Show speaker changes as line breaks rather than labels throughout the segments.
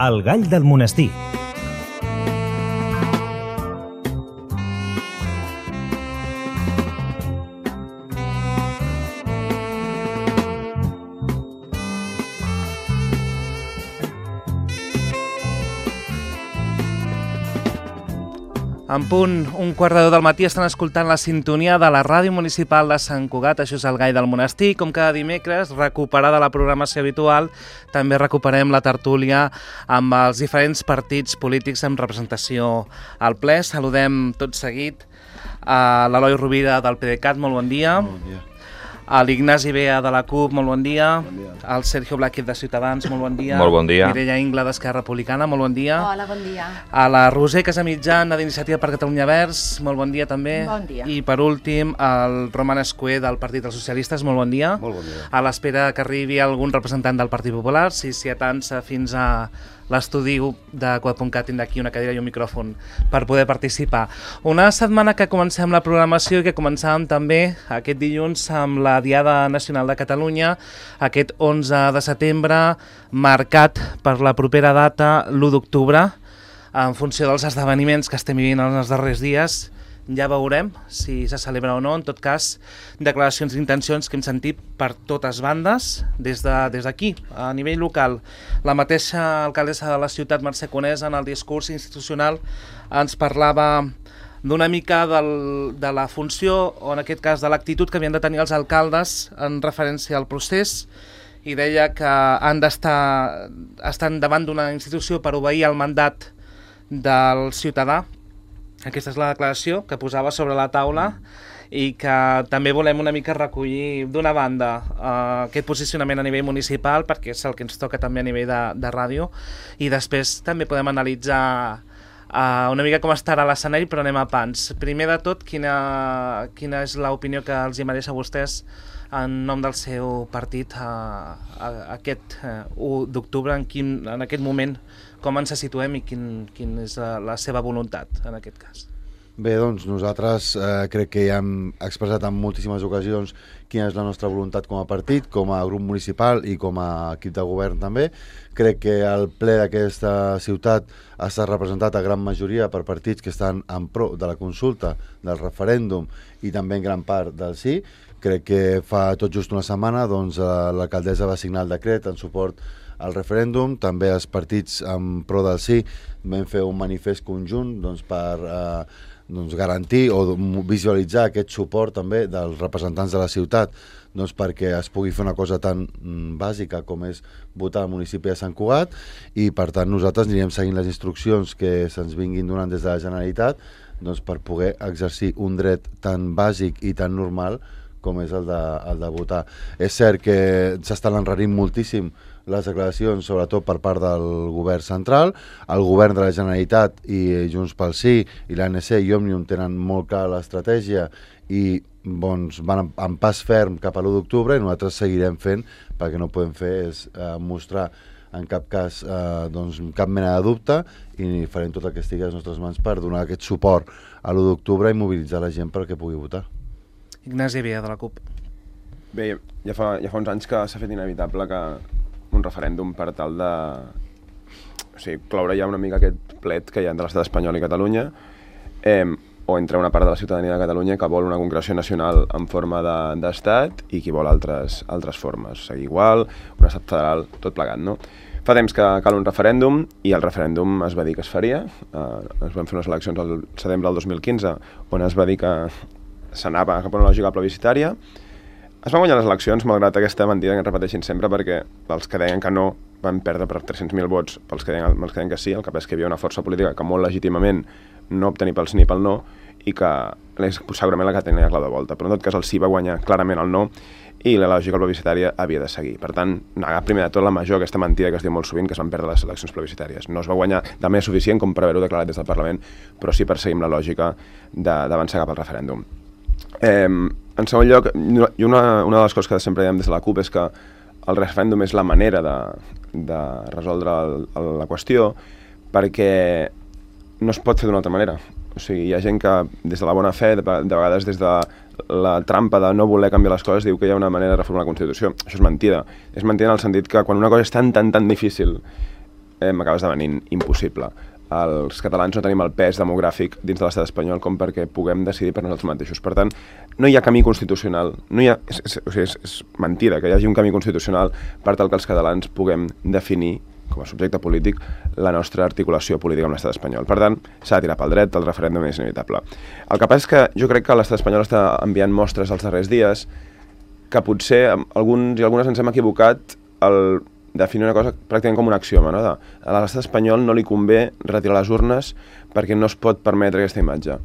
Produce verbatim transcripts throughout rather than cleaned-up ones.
El gall del monestir.
En punt, un quart de deu del matí estan escoltant la sintonia de la Ràdio Municipal de Sant Cugat, això és el Gall del Monestir. Com cada dimecres, recuperada la programació habitual, també recuperem la tertúlia amb els diferents partits polítics amb representació al ple. Saludem tot seguit a l'Eloi Rovira del PDeCAT, molt bon dia.
Bon dia.
A l'Ignasi Bea de la CUP, molt bon dia.
Bon dia.
Al Sergio Blázquez de Ciutadans, molt bon dia.
Molt bon dia.
Mireia Ingla d'Esquerra Republicana, molt bon dia.
Hola, bon dia.
A la Roser Casamitjana d'Iniciativa per Catalunya Verds, molt bon dia també.
Bon dia.
I per últim, el Roman Escué del Partit dels Socialistes, molt bon dia.
Molt bon dia.
A l'espera que arribi algun representant del Partit Popular, si s'hi atansa fins a l'estudi de Cugat punt cat tindrà aquí una cadira i un micròfon per poder participar. Una setmana que comencem la programació i que començàvem també aquest dilluns amb la Diada Nacional de Catalunya, aquest onze de setembre, marcat per la propera data, l'u d'octubre, en funció dels esdeveniments que estem vivint en els darrers dies. Ja veurem si se celebra o no. En tot cas, declaracions d'intencions que hem sentit per totes bandes des d'aquí, de, a nivell local. La mateixa alcaldessa de la ciutat, Mercè Conesa, en el discurs institucional ens parlava d'una mica del, de la funció, o en aquest cas de l'actitud que havien de tenir els alcaldes en referència al procés, i deia que han d'estar estan davant d'una institució per obeir el mandat del ciutadà. Aquesta és la declaració que posava sobre la taula i que també volem una mica recollir d'una banda eh, aquest posicionament a nivell municipal, perquè és el que ens toca també a nivell de, de ràdio, i després també podem analitzar eh, una mica com estarà l'escenari, però anem a pans. Primer de tot, quina, quina és l'opinió que els hi mereix a vostès en nom del seu partit a, a, a aquest eh, u d'octubre, en, quin, en aquest moment, com ens situem i quin, quin és la, la seva voluntat en aquest cas?
Bé, doncs nosaltres eh, crec que ja hem expressat en moltíssimes ocasions quina és la nostra voluntat com a partit, com a grup municipal i com a equip de govern també. Crec que el ple d'aquesta ciutat ha estat representat a gran majoria per partits que estan en pro de la consulta, del referèndum i també en gran part del sí. Crec que fa tot just una setmana doncs, l'alcaldessa va signar el decret en suport al referèndum. També els partits en pro del sí vam fer un manifest conjunt doncs, per eh, doncs, garantir o visualitzar aquest suport també dels representants de la ciutat, doncs, perquè es pugui fer una cosa tan mm, bàsica com és votar al municipi de Sant Cugat, i per tant nosaltres anirem seguint les instruccions que se'ns vinguin donant des de la Generalitat doncs, per poder exercir un dret tan bàsic i tan normal com és el de, el de votar. És cert que s'estan enrarint moltíssim les declaracions, sobretot per part del govern central. El govern de la Generalitat i Junts pel Sí i l'A N C i Òmnium tenen molt clar l'estratègia i doncs, van en pas ferm cap a l'u d'octubre, i nosaltres seguirem fent, perquè no podem fer és eh, mostrar en cap cas eh, doncs, cap mena de dubte, i farem tot el que estigui a les nostres mans per donar aquest suport a l'u d'octubre i mobilitzar la gent perquè pugui votar.
Ignasi Bea, de la CUP.
Bé, ja fa, ja fa uns anys que s'ha fet inevitable que un referèndum per tal de o sigui, cloure ja una mica aquest plet que hi ha entre l'estat espanyol i Catalunya, eh, o entre una part de la ciutadania de Catalunya que vol una concreció nacional en forma d'estat de, i qui vol altres, altres formes, o sigui, igual, un estat federal, tot plegat, no? Fa temps que cal un referèndum i el referèndum es va dir que es faria. Eh, es van fer unes eleccions al setembre del dos mil quinze on es va dir que s'anava cap a una lògica plebiscitària. Es van guanyar les eleccions, malgrat aquesta mentida que repeteixin sempre, perquè els que deien que no van perdre per tres-cents mil vots, pels que deien, pels que deien que sí. El que és que hi havia una força política que molt legítimament no obtenia pel sí ni pel no, i que és segurament la que tenia clau de volta. Però en tot cas el sí va guanyar clarament el no, i la lògica plebiscitària havia de seguir. Per tant, negar primer de tot la major, aquesta mentida que es diu molt sovint, que es van perdre les eleccions plebiscitàries. No es va guanyar de manera suficient com per haver-ho declarat des del Parlament, però sí perseguim la lògica d'avançar cap al referèndum. Eh, en segon lloc, i una, una de les coses que sempre diem des de la CUP és que el referèndum és la manera de, de resoldre el, el, la qüestió, perquè no es pot fer d'una altra manera. O sigui, hi ha gent que des de la bona fe, de, de vegades des de la trampa de no voler canviar les coses, diu que hi ha una manera de reformar la Constitució. Això és mentida. És mentida en el sentit que quan una cosa és tan, tan, tan difícil eh, m'acaba esdevenint impossible. Els catalans no tenim el pes demogràfic dins de l'estat espanyol com perquè puguem decidir per nosaltres mateixos. Per tant, no hi ha camí constitucional, no hi ha, és, és, o sigui, és, és mentida que hi hagi un camí constitucional per tal que els catalans puguem definir com a subjecte polític la nostra articulació política amb l'estat espanyol. Per tant, s'ha de tirar pel dret, el referèndum és inevitable. El que passa és que jo crec que l'estat espanyol està enviant mostres els darrers dies que potser alguns i algunes ens hem equivocat al definir una cosa pràcticament com un axioma, no? De, a l'estat espanyol no li convé retirar les urnes perquè no es pot permetre aquesta imatge.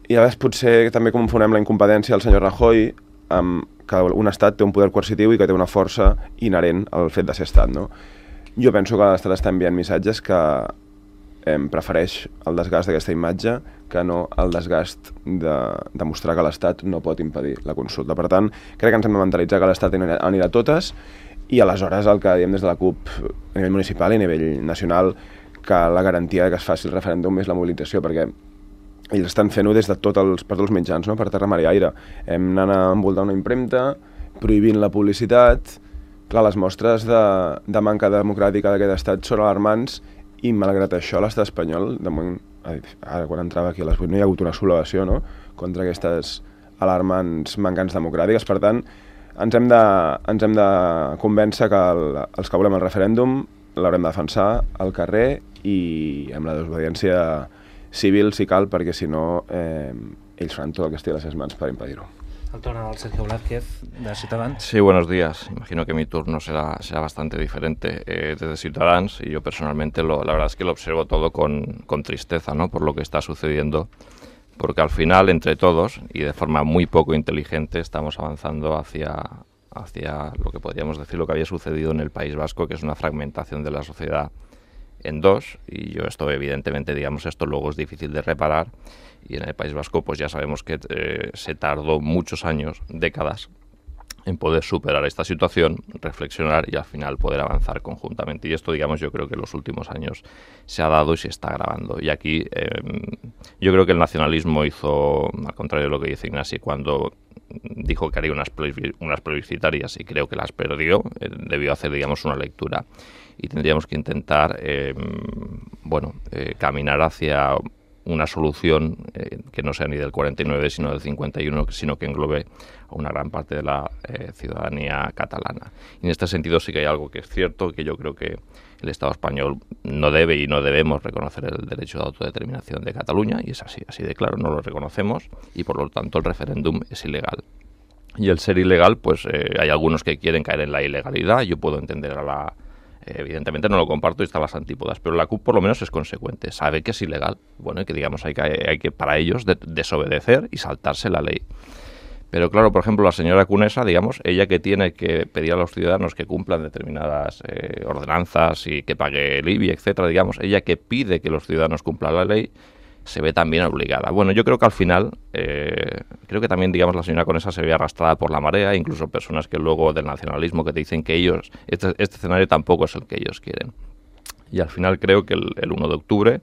I a vegades potser també confonem la incompetència del senyor Rajoy amb que un estat té un poder coercitiu i que té una força inherent al fet de ser estat, no? Jo penso que l'estat està enviant missatges que eh, prefereix el desgast d'aquesta imatge que no el desgast de demostrar que l'estat no pot impedir la consulta. Per tant, crec que ens hem de mentalitzar que l'estat anirà a totes i aleshores el que diem des de la CUP a nivell municipal i a nivell nacional que la garantia que es faci el referèndum és la mobilització, perquè ells estan fent-ho des de tots els, per tots els mitjans, no? Per terra, mar i aire. Hem anat a envoltar una impremta, prohibint la publicitat. Clar, les mostres de, de manca democràtica d'aquest estat són alarmants i malgrat això l'estat espanyol, de moment, ara quan entrava aquí a les vuit no hi ha hagut una sublevació, no?, contra aquestes alarmants mancants democràtiques. Per tant, ens hem de, ens hem de convèncer que el, els que volem el referèndum l'haurem de defensar al carrer i amb la desobediència civil si cal, perquè si no eh, ells faran tot el que estigui a les seves mans per impedir-ho.
El torno al Sergio Blázquez, de Ciutadans.
Sí, buenos días. Imagino que mi turno será, será bastante diferente eh, desde Ciutadans y yo personalmente lo, la verdad es que lo observo todo con, con tristeza, ¿no?, por lo que está sucediendo, porque al final entre todos y de forma muy poco inteligente estamos avanzando hacia, hacia lo que podríamos decir lo que había sucedido en el País Vasco, que es una fragmentación de la sociedad en dos, y yo esto evidentemente, digamos, esto luego es difícil de reparar, y en el País Vasco pues ya sabemos que eh, se tardó muchos años, décadas, en poder superar esta situación, reflexionar y al final poder avanzar conjuntamente. Y esto, digamos, yo creo que en los últimos años se ha dado y se está agravando. Y aquí eh, yo creo que el nacionalismo hizo, al contrario de lo que dice Ignasi, cuando dijo que haría unas, plebis, unas plebiscitarias y creo que las perdió, eh, debió hacer, digamos, una lectura. Y tendríamos que intentar, eh, bueno, eh, caminar hacia una solución eh, que no sea ni del cuarenta y nueve, sino del cincuenta y uno, sino que englobe a una gran parte de la eh, ciudadanía catalana. Y en este sentido sí que hay algo que es cierto, que yo creo que el Estado español no debe y no debemos reconocer el derecho de autodeterminación de Cataluña, y es así, así de claro, no lo reconocemos, y por lo tanto el referéndum es ilegal. Y el ser ilegal, pues eh, hay algunos que quieren caer en la ilegalidad, yo puedo entender a la... Evidentemente no lo comparto y está a las antípodas, pero la CUP por lo menos es consecuente, sabe que es ilegal, bueno, y que digamos hay que, hay que para ellos de, desobedecer y saltarse la ley. Pero claro, por ejemplo, la señora Conesa, digamos, ella que tiene que pedir a los ciudadanos que cumplan determinadas eh, ordenanzas y que pague el I B I, etcétera, digamos, ella que pide que los ciudadanos cumplan la ley, se ve también obligada. Bueno, yo creo que al final, eh, creo que también, digamos, la señora Conesa se ve arrastrada por la marea, incluso personas que luego del nacionalismo que te dicen que ellos, este, este escenario tampoco es el que ellos quieren. Y al final creo que el, el uno de octubre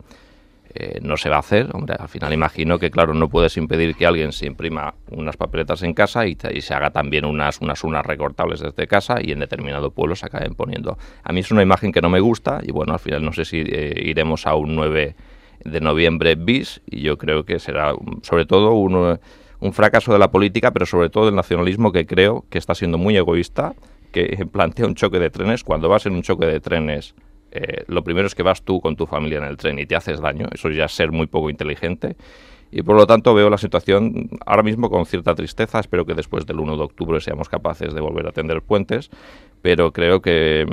eh, no se va a hacer. Hombre, al final imagino que, claro, no puedes impedir que alguien se imprima unas papeletas en casa y, y se haga también unas, unas urnas recortables desde casa y en determinado pueblo se acaben poniendo. A mí es una imagen que no me gusta y, bueno, al final no sé si eh, iremos a un nueve de noviembre bis, y yo creo que será sobre todo un, un fracaso de la política, pero sobre todo del nacionalismo, que creo que está siendo muy egoísta, que plantea un choque de trenes. Cuando vas en un choque de trenes, eh, lo primero es que vas tú con tu familia en el tren y te haces daño, eso ya es ser muy poco inteligente, y por lo tanto veo la situación ahora mismo con cierta tristeza. Espero que después del uno de octubre seamos capaces de volver a tender puentes, pero creo que,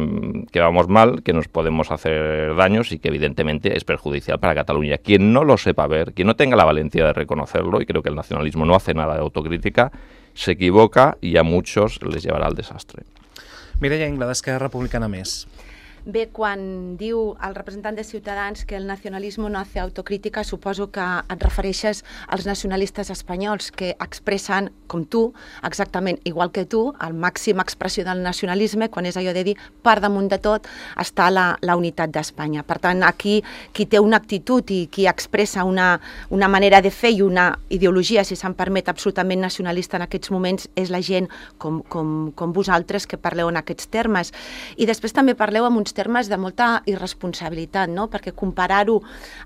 que vamos mal, que nos podemos hacer daños y que evidentemente es perjudicial para Cataluña. Quien no lo sepa ver, quien no tenga la valentía de reconocerlo, y creo que el nacionalismo no hace nada de autocrítica, se equivoca y a muchos les llevarà al desastre.
Mireia Ingla, d'Esquerra Republicana Més.
Bé, quan diu el representant de Ciutadans que el nacionalisme no hace autocrítica, suposo que et refereixes als nacionalistes espanyols que expressen, com tu, exactament igual que tu, el màxim expressió del nacionalisme, quan és allò de dir, per damunt de tot està la, la unitat d'Espanya. Per tant, aquí qui té una actitud i qui expressa una, una manera de fer i una ideologia, si se'n permet, absolutament nacionalista en aquests moments, és la gent com, com, com vosaltres que parleu en aquests termes. I després també parleu amb uns uns termes de molta irresponsabilitat, no? Perquè comparar-ho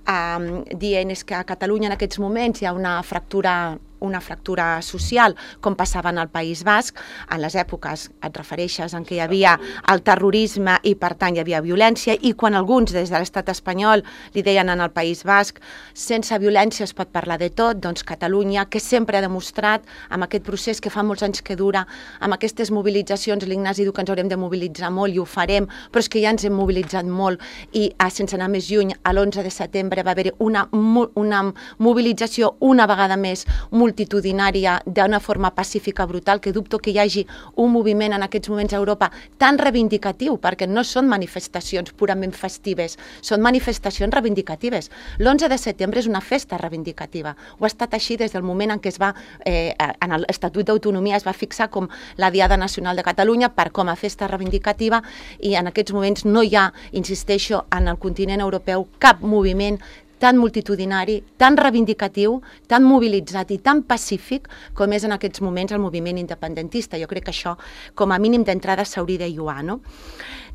eh, dient és que a Catalunya en aquests moments hi ha una fractura una fractura social, com passava en el País Basc, en les èpoques, et refereixes, en què hi havia el terrorisme i, per tant, hi havia violència, i quan alguns des de l'estat espanyol li deien en el País Basc, sense violència es pot parlar de tot, doncs Catalunya, que sempre ha demostrat, amb aquest procés que fa molts anys que dura, amb aquestes mobilitzacions, l'Ignasi diu que ens haurem de mobilitzar molt i ho farem, però és que ja ens hem mobilitzat molt i, sense anar més lluny, l'onze de setembre va haver una, una mobilització una vegada més multitudinària d'una forma pacífica brutal, que dubto que hi hagi un moviment en aquests moments a Europa tan reivindicatiu, perquè no són manifestacions purament festives, són manifestacions reivindicatives. l'onze de setembre és una festa reivindicativa. Ho ha estat així des del moment en què es va, eh, en l'Estatut d'Autonomia es va fixar com la Diada Nacional de Catalunya per com a festa reivindicativa, i en aquests moments no hi ha, insisteixo, en el continent europeu cap moviment tan multitudinari, tan reivindicatiu, tan mobilitzat i tan pacífic com és en aquests moments el moviment independentista. Jo crec que això, com a mínim d'entrada, s'hauria de lluar, no?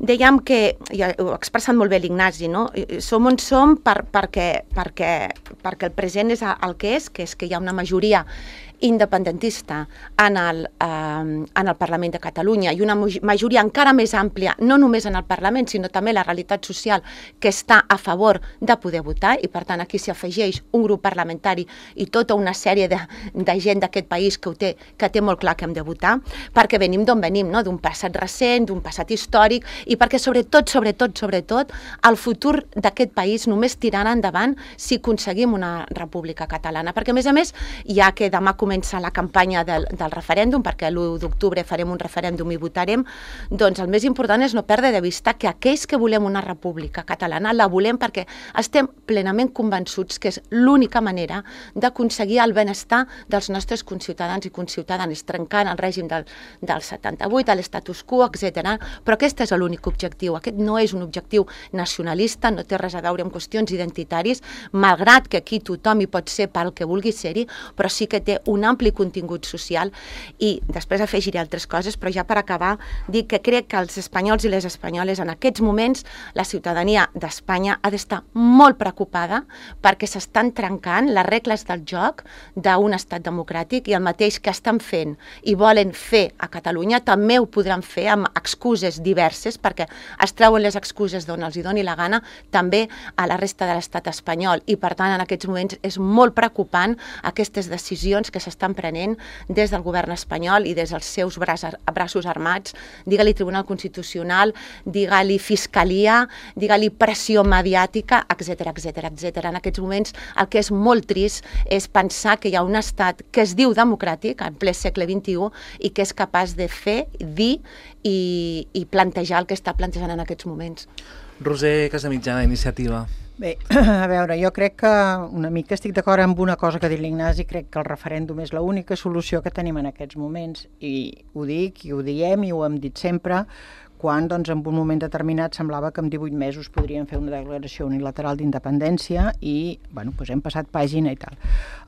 Dèiem que, ja ho ha expressat molt bé l'Ignasi, no? Som on som per, perquè, perquè, perquè el present és el que és, que és que hi ha una majoria independentista en el, eh, en el Parlament de Catalunya i una majoria encara més àmplia, no només en el Parlament, sinó també la realitat social que està a favor de poder votar, i per tant aquí s'hi afegeix un grup parlamentari i tota una sèrie de, de gent d'aquest país que, ho té, que té molt clar que hem de votar, perquè venim d'on venim, no? D'un passat recent, d'un passat històric, i perquè sobretot, sobretot, sobretot, el futur d'aquest país només tirarà endavant si aconseguim una república catalana, perquè a més a més, ja que demà comença la campanya del, del referèndum, perquè l'u d'octubre farem un referèndum i votarem, doncs el més important és no perdre de vista que aquells que volem una república catalana la volem perquè estem plenament convençuts que és l'única manera d'aconseguir el benestar dels nostres conciutadans i conciutadanes, trencant el règim del, del setanta-vuit, de l'estatus quo, etcètera. Però aquest és l'únic objectiu. Aquest no és un objectiu nacionalista, no té res a veure amb qüestions identitaris, malgrat que aquí tothom hi pot ser pel que vulgui ser-hi, però sí que té un ampli contingut social. I després afegiré altres coses, però ja per acabar dic que crec que els espanyols i les espanyoles en aquests moments, la ciutadania d'Espanya ha d'estar molt preocupada perquè s'estan trencant les regles del joc d'un estat democràtic, i el mateix que estan fent i volen fer a Catalunya també ho podran fer amb excuses diverses, perquè es treuen les excuses d'on els hi doni la gana també a la resta de l'estat espanyol, i per tant en aquests moments és molt preocupant aquestes decisions que s'estan prenent des del govern espanyol i des dels seus braços armats, digue-li Tribunal Constitucional, digue-li Fiscalia, digue-li pressió mediàtica, etcètera, etcètera, etcètera. En aquests moments el que és molt trist és pensar que hi ha un estat que es diu democràtic en ple segle vint-i-u i que és capaç de fer, dir i, i plantejar el que està plantejant en aquests moments.
Roser Casamitjana, Iniciativa.
Bé, a veure, jo crec que una mica estic d'acord amb una cosa que ha dit l'Ignasi, crec que el referèndum és l'única solució que tenim en aquests moments, i ho dic, i ho diem, i ho hem dit sempre, quan doncs, en un moment determinat semblava que en divuit mesos podríem fer una declaració unilateral d'independència i bueno, doncs hem passat pàgina i tal.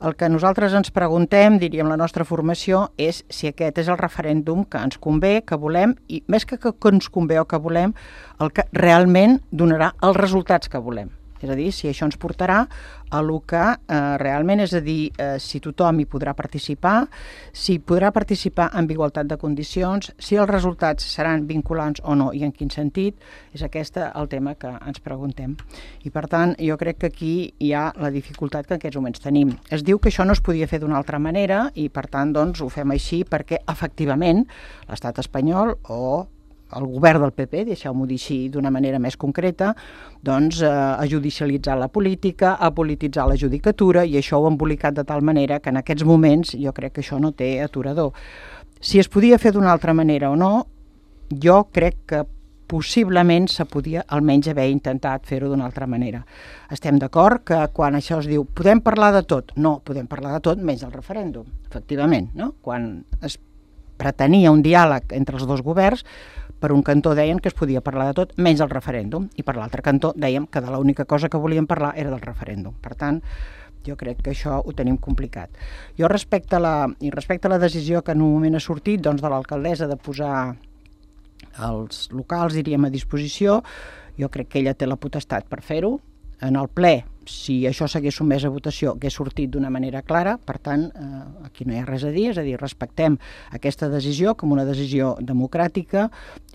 El que nosaltres ens preguntem, diríem la nostra formació, és si aquest és el referèndum que ens convé, que volem, i més que que ens convé o que volem, el que realment donarà els resultats que volem. És a dir, si això ens portarà a el que eh, realment, és a dir, eh, si tothom hi podrà participar, si podrà participar en igualtat de condicions, si els resultats seran vinculants o no i en quin sentit, és aquest el tema que ens preguntem. I per tant, jo crec que aquí hi ha la dificultat que en aquests moments tenim. Es diu que això no es podia fer d'una altra manera i per tant doncs, ho fem així perquè efectivament l'estat espanyol o el govern del P P, deixeu-m'ho dir així d'una manera més concreta, doncs eh, ha judicialitzat la política, ha polititzat la judicatura i això ho ha embolicat de tal manera que en aquests moments jo crec que això no té aturador. Si es podia fer d'una altra manera o no, jo crec que possiblement se podia almenys haver intentat fer-ho d'una altra manera. Estem d'acord que quan això es diu podem parlar de tot, no, podem parlar de tot menys del referèndum, efectivament, no? Quan es pretenia un diàleg entre els dos governs, per un cantó deien que es podia parlar de tot menys del referèndum i per l'altre cantó dèiem que de l'única cosa que volíem parlar era del referèndum. Per tant, jo crec que això ho tenim complicat. Jo respecte a la, i respecte a la decisió que en un moment ha sortit doncs, de l'alcaldessa de posar els locals, diríem, a disposició. Jo crec que ella té la potestat per fer-ho. En el ple, si això s'hagués sotmès a votació, hagués sortit d'una manera clara. Per tant, eh, aquí no hi ha res a dir, és a dir, respectem aquesta decisió com una decisió democràtica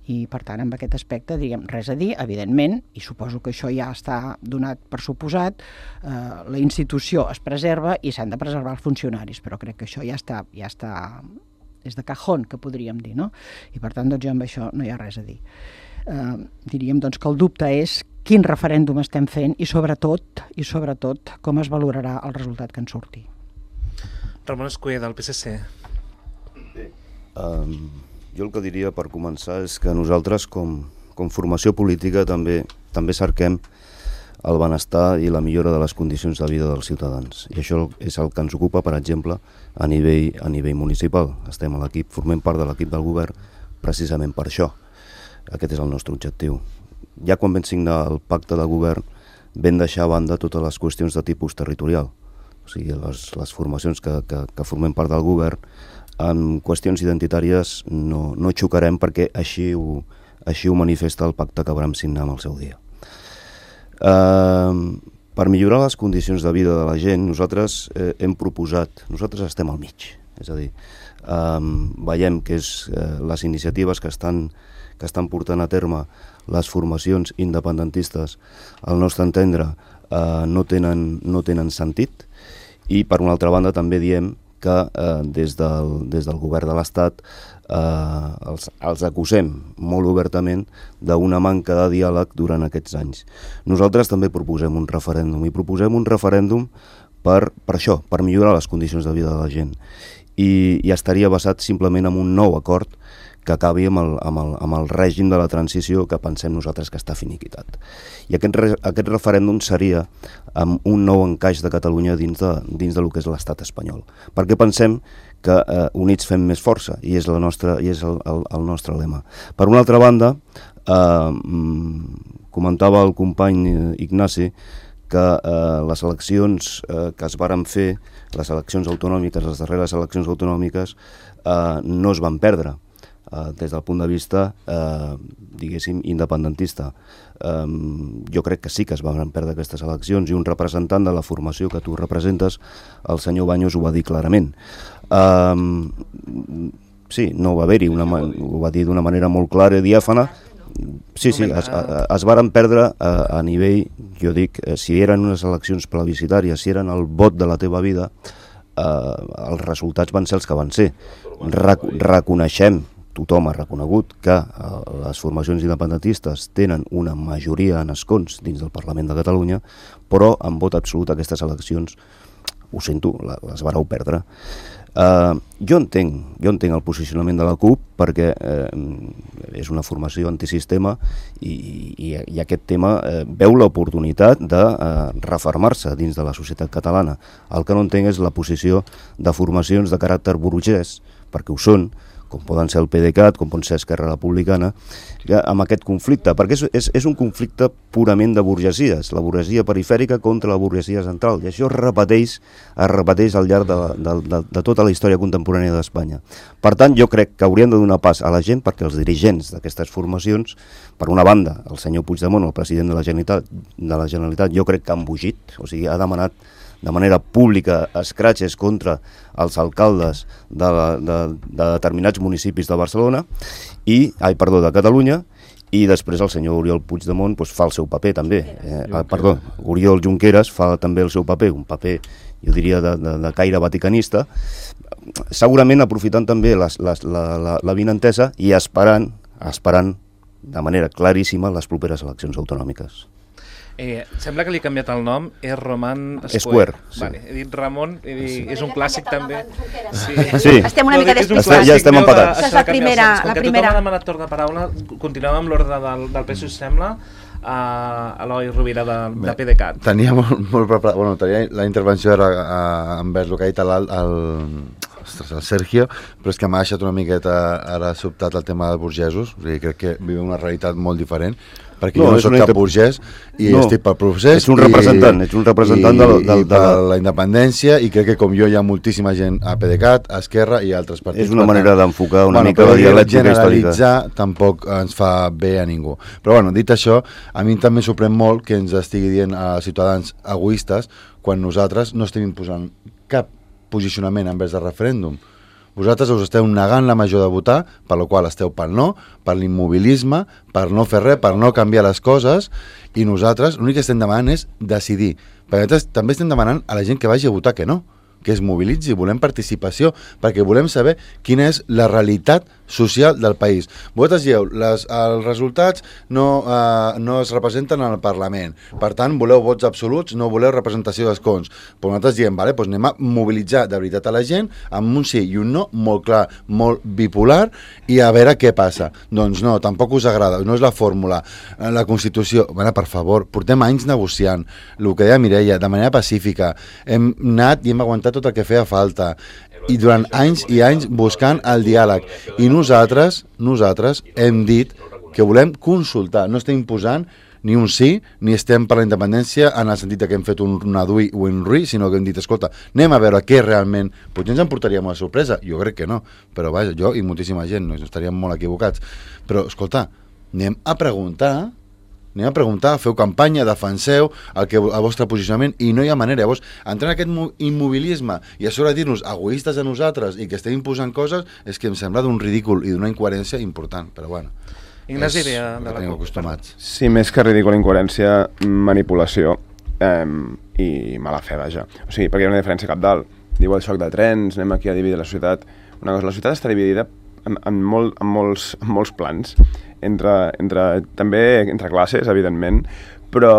i, per tant, en aquest aspecte, diguem, res a dir, evidentment, i suposo que això ja està donat per suposat, eh, la institució es preserva i s'han de preservar els funcionaris, però crec que això ja està, ja està, és de cajón, que podríem dir, no? I, per tant, doncs, jo amb això no hi ha res a dir. Eh, diríem doncs, que el dubte és quin referèndum estem fent i sobretot i sobretot com es valorarà el resultat que en surti.
Ramon Escuder, del P S C.
Um, jo el que diria per començar és que nosaltres com, com formació política també, també cerquem el benestar i la millora de les condicions de vida dels ciutadans. I això és el que ens ocupa, per exemple, a nivell, a nivell municipal. Estem a l'equip, formem part de l'equip del govern precisament per això. Aquest és el nostre objectiu. Ja quan vam signar el pacte de govern vam deixar a banda totes les qüestions de tipus territorial. O sigui, les, les formacions que, que, que formem part del govern en qüestions identitàries no, no xocarem perquè així ho, així ho manifesta el pacte que vam signar amb el seu dia. Uh, per millorar les condicions de vida de la gent, nosaltres eh, hem proposat, nosaltres estem al mig, és a dir, um, veiem que és, eh, les iniciatives que estan que estan portant a terme les formacions independentistes, al nostre entendre, eh, no, tenen, no tenen sentit, i per una altra banda també diem que eh, des, del, des del govern de l'Estat eh, els, els acusem molt obertament d'una manca de diàleg durant aquests anys. Nosaltres també proposem un referèndum, i proposem un referèndum per, per això, per millorar les condicions de vida de la gent, i, i estaria basat simplement en un nou acord que acabi amb el, amb, el, amb el règim de la transició que pensem nosaltres que està finiquitat. I aquest, re, aquest referèndum seria amb un nou encaix de Catalunya dins de, dins de lo que és l'estat espanyol. Perquè pensem que eh, units fem més força, i és, la nostra, i és el, el, el nostre lema. Per una altra banda, eh, comentava el company Ignasi que eh, les eleccions eh, que es varen fer, les eleccions autonòmiques, les darreres eleccions autonòmiques, eh, no es van perdre. Uh, des del punt de vista, uh, diguéssim, independentista. Um, jo crec que sí que es van perdre aquestes eleccions, i un representant de la formació que tu representes, el senyor Baños, ho va dir clarament. Um, sí, no va haver-hi, una, ho va dir d'una manera molt clara i diàfana. Sí, sí, es, es varen perdre a, a nivell, jo dic, si eren unes eleccions plebiscitàries, si eren el vot de la teva vida, uh, els resultats van ser els que van ser. Rec reconeixem, tothom ha reconegut que eh, les formacions independentistes tenen una majoria en escons dins del Parlament de Catalunya, però en vot absolut aquestes eleccions, ho sento, les vareu perdre. Eh, jo entenc, jo entenc el posicionament de la CUP, perquè eh, és una formació antisistema, i, i, i aquest tema eh, veu l'oportunitat de eh, refermar-se dins de la societat catalana. El que no entenc és la posició de formacions de caràcter burgès, perquè ho són, com poden ser el PDeCAT, com pot ser Esquerra Republicana, amb aquest conflicte, perquè és, és, és un conflicte purament de burgesies, la burgesia perifèrica contra la burgesia central, i això es repeteix, es repeteix al llarg de, de, de, de tota la història contemporània d'Espanya. Per tant, jo crec que hauríem de donar pas a la gent perquè els dirigents d'aquestes formacions, per una banda, el senyor Puigdemont, el president de la Generalitat, de la Generalitat jo crec que ha embogit, o sigui, ha demanat de manera pública escratxes contra els alcaldes de, la, de, de determinats municipis de Barcelona, i, ai, perdó, de Catalunya, i després el senyor Oriol Puigdemont doncs, fa el seu paper també. Eh, eh, perdó, Oriol Junqueras fa també el seu paper, un paper, jo diria, de, de, de caire vaticanista, segurament aprofitant també les, les, la, la, la vinentesa i esperant, esperant de manera claríssima les properes eleccions autonòmiques.
Eh, sembla que li he canviat el nom, és Roman
Square.
Square.
Sí.
Vale, he dit Ramon, he dit, sí. És un clàssic també.
Sí. Sí.
Estem una
no,
mica
despistats. Ja estem empatats.
Això és la primera.
Com
la
que
primera.
tothom ha demanat torn de paraula, continuem amb l'ordre del, del P S O E, sembla, a Eloi Rovira de, de PDeCAT.
Tenia molt, molt preparat, bueno, tenia, la intervenció era uh, envers el que ha dit el, el, ostres, el Sergio, però és que m'ha deixat una miqueta ara sobtat el tema dels burgesos, o sigui, crec que viu una realitat molt diferent, perquè no, jo no soc cap burgès i no, estic pel procés.
Ets un representant, i, ets un representant
i,
de, de,
i per la independència, i crec que com jo hi ha moltíssima gent a PDeCAT, a Esquerra i a altres partits.
És una manera d'enfocar una
bueno,
mica la dialèctica històrica.
Generalitzar tampoc ens fa bé a ningú. Però bueno, dit això, a mi també sorprèn molt que ens estigui dient a ciutadans egoistes quan nosaltres no estem imposant cap posicionament envers del referèndum. Vosaltres us esteu negant la major de votar, per la qual esteu pel no, per l'immobilisme, per no fer res, per no canviar les coses, i nosaltres l'únic que estem demanant és decidir. Perquè nosaltres també estem demanant a la gent que vagi a votar que no, que es mobilitzi, volem participació, perquè volem saber quina és la realitat social del país. Vosaltres dieu, les, els resultats no, eh, no es representen en el Parlament, per tant voleu vots absoluts, no voleu representació d'escons. Però nosaltres diem, vale, doncs anem a mobilitzar de veritat a la gent amb un sí i un no molt clar, molt bipolar, i a veure què passa. Doncs no, tampoc us agrada, no és la fórmula. La Constitució, bueno, per favor, portem anys negociant, el que deia Mireia, de manera pacífica, hem anat i hem aguantat tot el que feia falta, i durant anys i anys buscant el diàleg, i nosaltres nosaltres hem dit que volem consultar, no estem imposant ni un sí, ni estem per la independència en el sentit que hem fet un nadui o un rui, sinó que hem dit, escolta, anem a veure què realment, potser ens en portaríem una sorpresa, jo crec que no, però vaja, jo i moltíssima gent no estaríem molt equivocats, però escolta, anem a preguntar anem a preguntar, feu campanya, defenseu el, que, el vostre posicionament, i no hi ha manera. Llavors, entrar en aquest immobilisme i a sobre dir-nos egoistes a nosaltres i que estem imposant coses, és que em sembla d'un ridícul i d'una incoherència important, però bueno,
Ignasi,
és
de,
el que tenim acostumats.
Sí, més que ridícul, incoherència, manipulació eh, i mala fe, vaja. O sigui, perquè hi ha una diferència cap dalt. Diu el xoc de trens, anem aquí a dividir la ciutat. Una cosa, la ciutat està dividida en, en, molt, en, molts, en molts plans, entre, entre, també entre classes, evidentment, però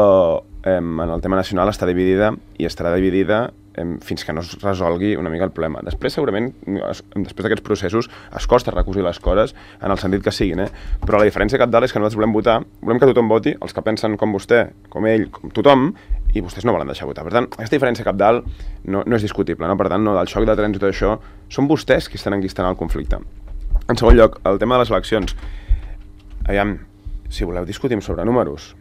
eh, en el tema nacional està dividida i estarà dividida eh, fins que no es resolgui una mica el problema. Després, segurament, es, després d'aquests processos, es costa recosir les coses en el sentit que siguin, eh? Però la diferència cap dalt és que nosaltres volem votar, volem que tothom voti, els que pensen com vostè, com ell, com tothom, i vostès no volen deixar votar. Per tant, aquesta diferència cap dalt no, no és discutible, no? Per tant, no, del xoc de trens i tot això, són vostès qui estan enquistant el conflicte. En segon lloc, el tema de les eleccions. Aviam, si voleu discutim sobre números,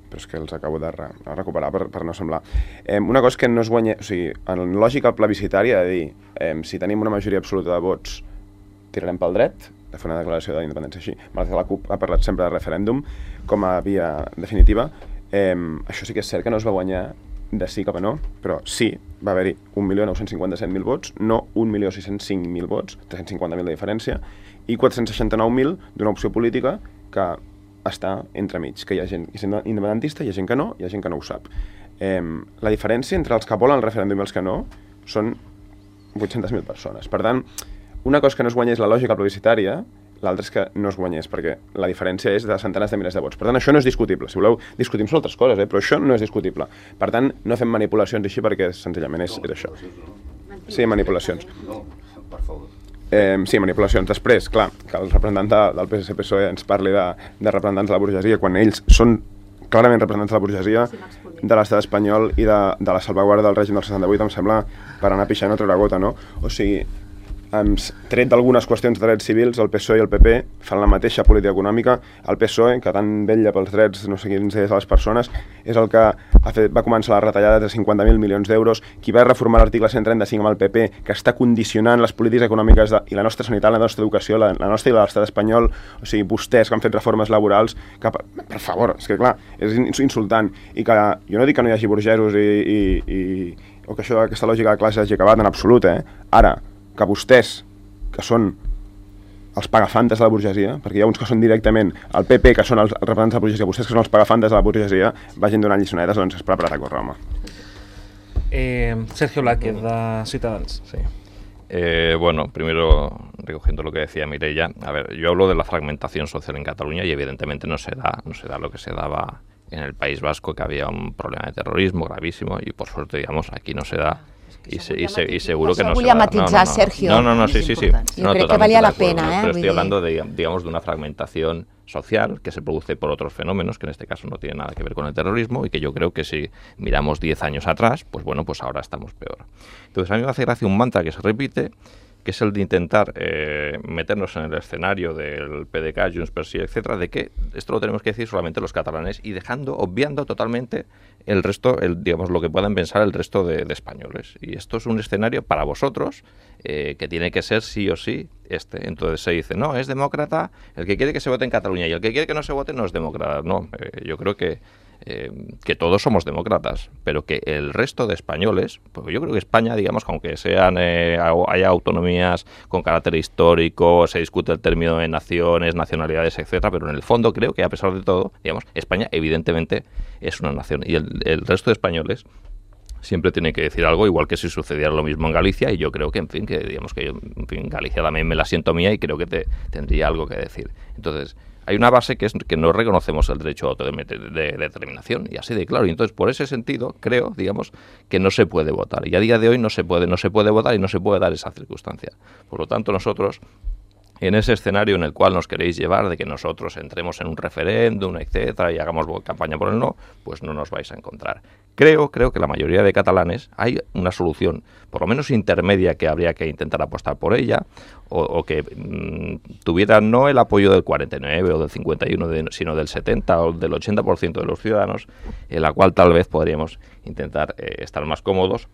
però és que els acabo de, re, de recuperar per, per no semblar. Eh, una cosa que no es guanya, o sigui, en lògica plebiscitària de dir, eh, si tenim una majoria absoluta de vots, tirarem pel dret, de fer una declaració d'independència així. Malgrat que la CUP ha parlat sempre de referèndum com a via definitiva. Eh, això sí que és cert que no es va guanyar de sí cap a no, però sí, va haver-hi un milió nou-cents cinquanta-set mil vots, no un milió sis-cents cinc mil vots, tres-cents cinquanta mil de diferència, i quatre-cents seixanta-nou mil d'una opció política que està entremig, que hi ha gent que és independentista, hi ha gent que no, hi ha gent que no ho sap. Eh, la diferència entre els que volen el referèndum i els que no són vuit-centes mil persones. Per tant, una cosa que no es guanyés la lògica plebiscitària, l'altra és que no es guanyés, perquè la diferència és de centenars de milers de vots. Per tant, això no és discutible. Si voleu, discutim sobre altres coses, eh? Però això no és discutible. Per tant, no fem manipulacions així perquè senzillament és, és això. Sí, manipulacions. Eh, sí, manipulacions. Després, clar, que el representant de, del P S C P S O E ens parli de, de representants de la burgesia, quan ells són clarament representants de la burgesia, de l'estat espanyol i de, de la salvaguarda del règim del setanta-vuit, em sembla per anar pixant o treure gota, no? O sigui, tret d'algunes qüestions de drets civils, el P S O E i el P P fan la mateixa política econòmica. El P S O E, que tant vetlla pels drets no sé quins és de les persones, és el que ha fet, va començar la retallada de cinquanta mil milions d'euros, qui va reformar l'article cent trenta-cinc amb el P P, que està condicionant les polítiques econòmiques de, i la nostra sanitat, la nostra educació, la, la nostra i l'estat espanyol. O sigui, vostès que han fet reformes laborals, que, per favor, és que clar, és insultant. I que jo no dic que no hi hagi burgesos i, i, i, o que això, aquesta lògica de classe hagi acabat en absolut, eh? Ara, que vostès, que són els pagafantes de la burgesia, perquè hi ha uns que són directament el P P, que són els representants de la burgesia, vostès que són els pagafantes de la burgesia, vagin donant lliçonetes, doncs és preparat a córrer, home.
Eh, Sergio Blázquez, de Ciutadans.
Sí. Eh, bueno, primero, recogiendo lo que decía Mireia, a ver, yo hablo de la fragmentación social en Cataluña y evidentemente no se da, no se da lo que se daba en el País Vasco, que había un problema de terrorismo gravísimo y por suerte, digamos, aquí no se da. Y, se, y, se, y seguro que no se va a dar.
Volia matitzar, Sergio.
No, no, no, sí, sí, sí.
Yo creo que valía la pena, ¿eh?
Pero estoy hablando, de, digamos, de una fragmentación social que se produce por otros fenómenos, que en este caso no tiene nada que ver con el terrorismo, y que yo creo que si miramos diez años atrás, pues bueno, pues ahora estamos peor. Entonces a mí me hace gracia un mantra que se repite, que es el de intentar eh, meternos en el escenario del P D C A, Junts per Sí, etcétera, de que esto lo tenemos que decir solamente los catalanes y dejando, obviando totalmente el resto, el, digamos, lo que puedan pensar el resto de, de españoles. Y esto es un escenario para vosotros eh, que tiene que ser sí o sí este. Entonces se dice, no, es demócrata el que quiere que se vote en Cataluña y el que quiere que no se vote no es demócrata. No, eh, yo creo que Eh, que todos somos demócratas, pero que el resto de españoles, pues yo creo que España, digamos, aunque sean eh, haya autonomías con carácter histórico, se discute el término de naciones, nacionalidades, etcétera, pero en el fondo creo que a pesar de todo, digamos, España evidentemente es una nación y el, el resto de españoles siempre tiene que decir algo, igual que si sucediera lo mismo en Galicia, y yo creo que, en fin, que digamos que yo, en fin, Galicia también me la siento mía y creo que te, tendría algo que decir. Entonces, hay una base que es que no reconocemos el derecho a autodeterminación, y así de claro. Y entonces, por ese sentido, creo, digamos, que no se puede votar. Y a día de hoy no se puede, no se puede votar y no se puede dar esa circunstancia. Por lo tanto, nosotros, en ese escenario en el cual nos queréis llevar de que nosotros entremos en un referéndum, etcétera, y hagamos campaña por el no, pues no nos vais a encontrar. Creo, creo que la mayoría de catalanes hay una solución, por lo menos intermedia, que habría que intentar apostar por ella, o, o que mmm, tuviera no el apoyo del cuarenta y nueve o del cincuenta y uno, de, sino del setenta o del ochenta por ciento de los ciudadanos, en la cual tal vez podríamos intentar eh, estar más cómodos.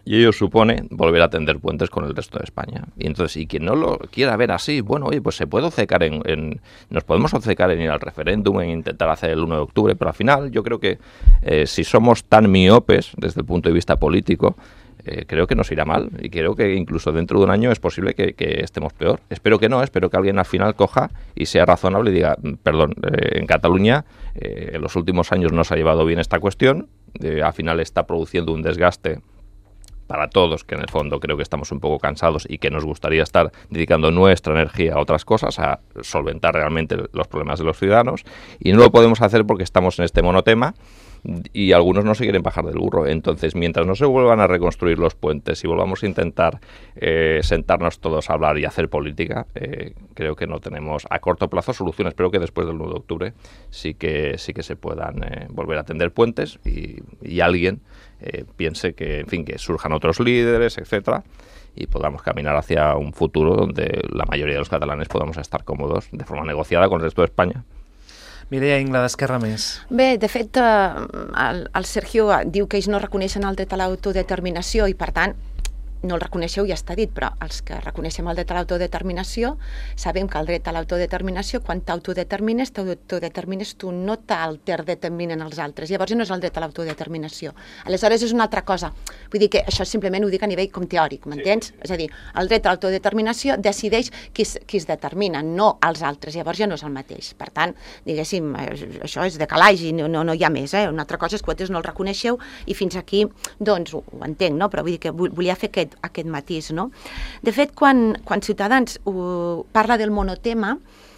Y ello supone volver a tender puentes con el resto de España. Y entonces, y quien no lo quiera ver así, bueno, oye, pues se puede obcecar en, en... Nos podemos obcecar en ir al referéndum, en intentar hacer el uno de octubre, pero al final yo creo que eh, si somos tan miopes desde el punto de vista político, eh, creo que nos irá mal. Y creo que incluso dentro de un año es posible que, que estemos peor. Espero que no, espero que alguien al final coja y sea razonable y diga, perdón, eh, en Cataluña eh, en los últimos años no se ha llevado bien esta cuestión, eh, al final está produciendo un desgaste para todos, que en el fondo creo que estamos un poco cansados y que nos gustaría estar dedicando nuestra energía a otras cosas, a solventar realmente los problemas de los ciudadanos, y no lo podemos hacer porque estamos en este monotema y algunos no se quieren bajar del burro. Entonces, mientras no se vuelvan a reconstruir los puentes y volvamos a intentar eh, sentarnos todos a hablar y hacer política, eh, creo que no tenemos a corto plazo soluciones. Espero que después del uno de octubre sí que, sí que se puedan eh, volver a tender puentes y, y alguien eh, piense que, en fin, que surjan otros líderes, etcétera, y podamos caminar hacia un futuro donde la mayoría de los catalanes podamos estar cómodos de forma negociada con el resto de España.
Mireia Ingla, d'Esquerra Més.
Bé, de fet, el, el Sergio diu que ells no reconeixen el dret a l'autodeterminació i, per tant, no el reconeixeu, ja està dit, però els que reconeixem el dret a l'autodeterminació sabem que el dret a l'autodeterminació, quan t'autodetermines, t'autodetermines tu, no t'alterdeterminen els altres. Llavors no és el dret a l'autodeterminació. Aleshores és una altra cosa. Vull dir que això simplement ho dic a nivell com teòric, m'entens? Sí. És a dir, el dret a l'autodeterminació decideix qui es, qui es determina, no els altres. Llavors ja no és el mateix. Per tant, diguéssim, això és de calaix i no, no, no hi ha més. Eh? Una altra cosa és que vosaltres no el reconeixeu i fins aquí, doncs, ho, ho entenc, no? Però vull dir que volia fer aquest aquest matís, no? De fet, quan, quan Ciutadans uh, parla del monotema,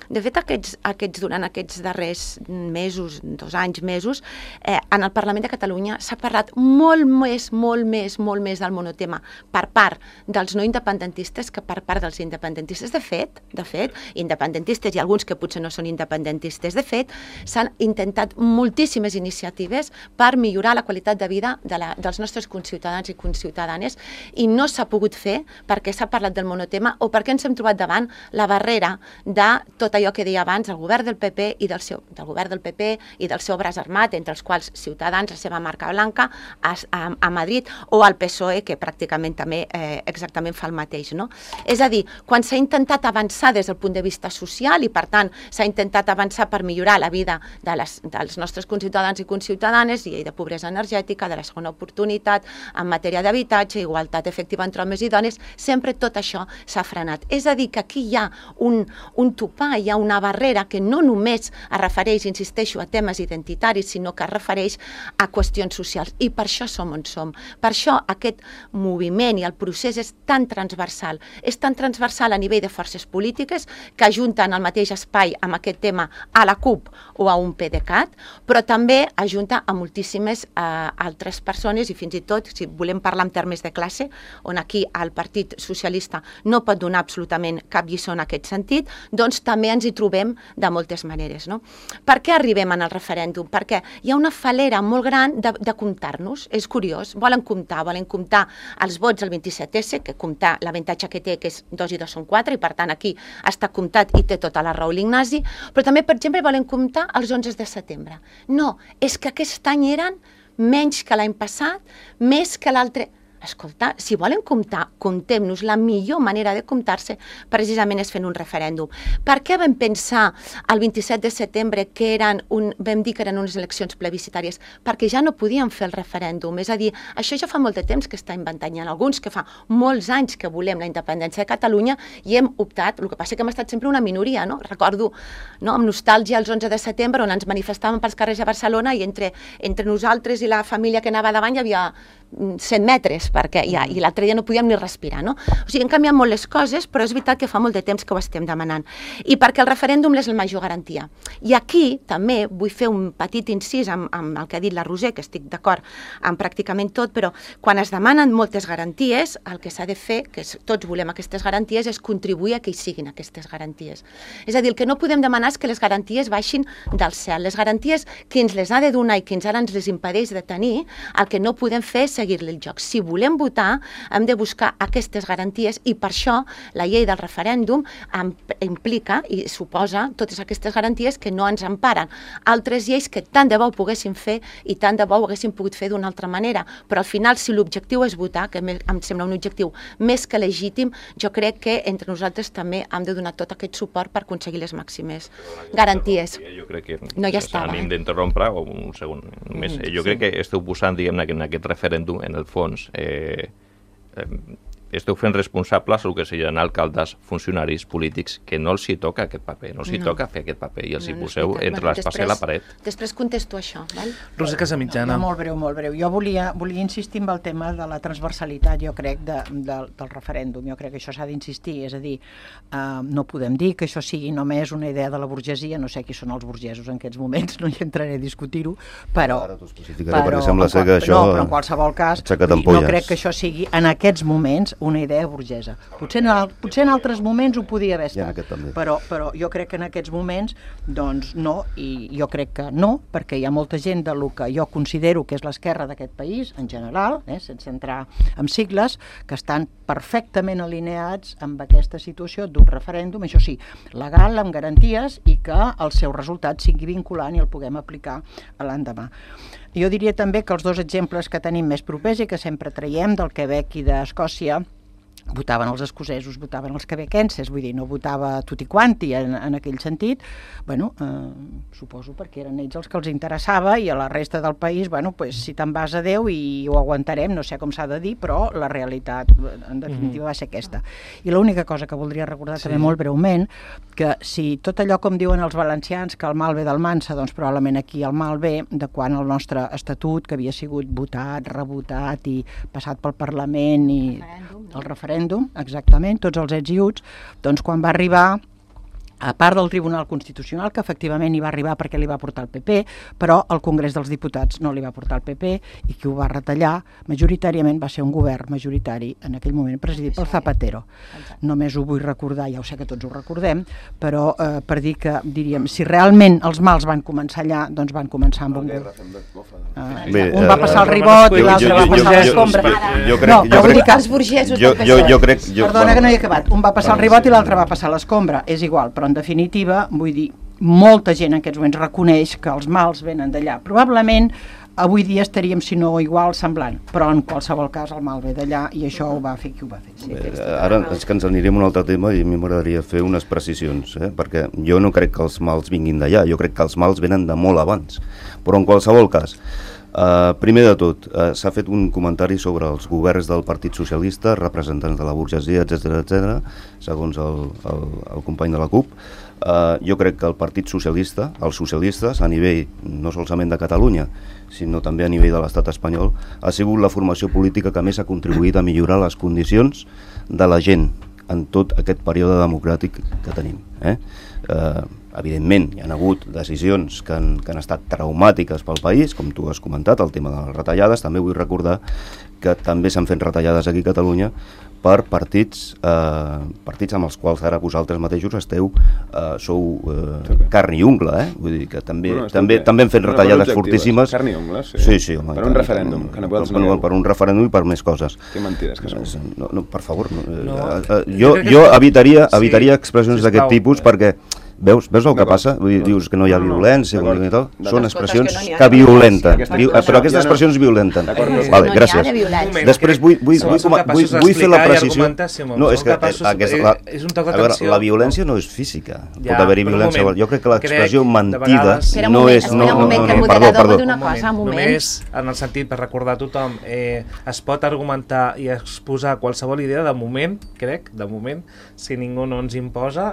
de fet, aquests, aquests, durant aquests darrers mesos, dos anys, mesos, eh, en el Parlament de Catalunya s'ha parlat molt més, molt més, molt més del monotema per part dels no independentistes que per part dels independentistes. De fet, de fet, independentistes i alguns que potser no són independentistes, de fet, s'han intentat moltíssimes iniciatives per millorar la qualitat de vida de la, dels nostres conciutadans i conciutadanes i no s'ha pogut fer perquè s'ha parlat del monotema o perquè ens hem trobat davant la barrera de tot allò que deia abans, el govern del P P i del seu, del govern del P P i del seu braç armat, entre els quals Ciutadans, la seva marca blanca, a, a, a Madrid, o el P S O E, que pràcticament també eh, exactament fa el mateix, no? És a dir, quan s'ha intentat avançar des del punt de vista social i, per tant, s'ha intentat avançar per millorar la vida de les, dels nostres conciutadans i conciutadanes, llei de pobresa energètica, de la segona oportunitat, en matèria d'habitatge, igualtat efectiva entre homes i dones, sempre tot això s'ha frenat. És a dir, que aquí hi ha un, un topar, hi ha una barrera que no només es refereix, insisteixo, a temes identitaris, sinó que es refereix a qüestions socials. I per això som on som. Per això aquest moviment i el procés és tan transversal. És tan transversal a nivell de forces polítiques que ajunten al mateix espai amb aquest tema a la CUP o a un P D C A T, però també ajunta a moltíssimes eh, altres persones i fins i tot, si volem parlar en termes de classe, on aquí el Partit Socialista no pot donar absolutament cap lliçó en aquest sentit, doncs també ens hi trobem de moltes maneres. No? Per què arribem al referèndum? Perquè hi ha una falera molt gran de, de comptar-nos. És curiós. Volen comptar, volen comptar els vots del vint-i-set esse, que comptar l'avantatge que té, que és dos i dos són quatre, i per tant aquí està comptat i té tota la raó l'Ignasi, però també, per exemple, volen comptar els onze de setembre. No, és que aquest any eren menys que l'any passat, més que l'altre... Escolta, si volen comptar, comptem-nos. La millor manera de comptar-se precisament és fent un referèndum. Per què vam pensar el vint-i-set de setembre que eren un, vam dir que eren unes eleccions plebiscitàries? Perquè ja no podíem fer el referèndum. És a dir, això ja fa molt de temps que està inventant. Hi ha alguns que fa molts anys que volem la independència de Catalunya i hem optat, el que passa que hem estat sempre una minoria, no? Recordo, no, amb nostàlgia els onze de setembre on ens manifestàvem pels carrers de Barcelona i entre, entre nosaltres i la família que anava davant hi havia cent metres, perquè ja, i l'altre dia no podíem ni respirar, no? O sigui, han canviat molt les coses, però és veritat que fa molt de temps que ho estem demanant. I perquè el referèndum és la major garantia. I aquí també vull fer un petit incís amb, amb el que ha dit la Roser, que estic d'acord amb pràcticament tot, però quan es demanen moltes garanties, el que s'ha de fer, que tots volem aquestes garanties, és contribuir a que hi siguin aquestes garanties. És a dir, el que no podem demanar és que les garanties baixin del cel. Les garanties que ens les ha de donar i que ens ara ens les impedeix de tenir, el que no podem fer és seguir-li el joc. Si volem votar, hem de buscar aquestes garanties i per això la llei del referèndum implica i suposa totes aquestes garanties que no ens emparen. Altres lleis que tant de bo ho poguéssim fer i tant de bo ho haguéssim pogut fer d'una altra manera, però al final si l'objectiu és votar, que em sembla un objectiu més que legítim, jo crec que entre nosaltres també hem de donar tot aquest suport per aconseguir les màximes garanties.
Jo crec que
no ja estava.
Anem d'interrompre un segon més. Jo crec que esteu posant, diguem-ne, en aquest referèndum en el fons, eh, eh, esteu fent responsables el que serien alcaldes, funcionaris polítics, que no els hi toca aquest paper, no els hi no. toca fer aquest paper i els no, hi poseu no entre bueno, l'espasa i la paret.
Després contesto això, val?
Roser Casamitjana.
No, molt breu, molt breu. Jo volia, volia insistir en el tema de la transversalitat, jo crec, de, de, del referèndum. Jo crec que això s'ha d'insistir, és a dir, uh, no podem dir que això sigui només una idea de la burgesia, no sé qui són els burgesos en aquests moments, no hi entraré a discutir-ho, però...
Ara t'ho especificaré, perquè sembla ser que això...
No, però en qualsevol cas, no crec que això sigui, en aquests moments, una idea burgesa. Potser en, potser en altres moments ho podia haver estat, però, però jo crec que en aquests moments doncs no, i jo crec que no, perquè hi ha molta gent de lo que jo considero que és l'esquerra d'aquest país, en general, eh, sense entrar en sigles, que estan perfectament alineats amb aquesta situació d'un referèndum, això sí, legal, amb garanties, i que el seu resultat sigui vinculant i el puguem aplicar a l'endemà. Jo diria també que els dos exemples que tenim més propers i que sempre traiem del Quebec i d'Escòcia, votaven els escocesos, votaven els quebequenses, vull dir, no votava tutti quanti en, en aquell sentit, bueno, eh, suposo perquè eren ells els que els interessava i a la resta del país, bueno, pues, si te'n vas a Déu i ho aguantarem, no sé com s'ha de dir, però la realitat en definitiva va ser aquesta. I l'única cosa que voldria recordar sí. també molt breument, que si tot allò com diuen els valencians, que el mal ve del mansa, doncs probablement aquí el mal ve de quan el nostre estatut, que havia sigut votat, rebotat i passat pel Parlament i el referèndum, exactament, tots els ets i uts, doncs quan va arribar, a part del Tribunal Constitucional, que efectivament hi va arribar perquè li va portar el P P, però el Congrés dels Diputats no li va portar el P P i qui ho va retallar majoritàriament va ser un govern majoritari en aquell moment presidit pel Zapatero. Només ho vull recordar, ja ho sé que tots ho recordem, però eh, per dir que, diríem, si realment els mals van començar allà, doncs van començar amb un govern. Uh, un va passar el ribot i l'altre va passar l'escombra.
No, però vull dir que els burgesos del P S O E.
Perdona que no hi he acabat. Un va passar el ribot i l'altre va passar l'escombra. És igual, però en definitiva, vull dir, molta gent en aquests moments reconeix que els mals venen d'allà. Probablement avui dia estaríem, si no igual, semblant, però en qualsevol cas el mal ve d'allà i això ho va fer qui ho va fer. Sí,
Bé, ara és que ens anirem a un altre tema i a mi m'agradaria fer unes precisions, eh? perquè jo no crec que els mals vinguin d'allà, jo crec que els mals venen de molt abans. Però en qualsevol cas, Uh, primer de tot, uh, s'ha fet un comentari sobre els governs del Partit Socialista, representants de la burgesia, etcètera, etcètera, segons el, el, el company de la CUP. Uh, jo crec que el Partit Socialista, els socialistes, a nivell no solament de Catalunya, sinó també a nivell de l'estat espanyol, ha sigut la formació política que més ha contribuït a millorar les condicions de la gent en tot aquest període democràtic que tenim. Eh? Uh, evidentment, hi ha hagut decisions que han, que han estat traumàtiques pel país, com tu has comentat, el tema de les retallades. També vull recordar que també s'han fet retallades aquí a Catalunya, per partits, eh, partits amb els quals ara vosaltres mateixos esteu, eh, sou eh, carn i ungla, eh? Vull dir que també, no, no, també, també hem fet retallades fortíssimes.
Carn i ungla, sí.
Sí, sí, home,
per un referèndum, que no pots negar.
Per un referèndum i per més coses.
Que mentides que són.
No, no, per favor, no, no. Eh, eh, jo, jo evitaria, evitaria expressions d'aquest tipus perquè Veus, veus el que passa? Vull dir, dius que no hi ha violència, no, no, no. Són expressions que, que violenten, Diu, però aquestes expressions violenten. Vale, gràcies. Després vull, vull, vull, vull, vull fer la precisió. No, és que aquesta, la, a veure, la violència no és física. Pot haver-hi violència. Jo crec que l'expressió mentida no és...
No, no, no,
perdó, perdó.
Només en el sentit, per recordar a tothom, es pot argumentar i exposar qualsevol idea, de moment, crec, de moment, si ningú no ens imposa,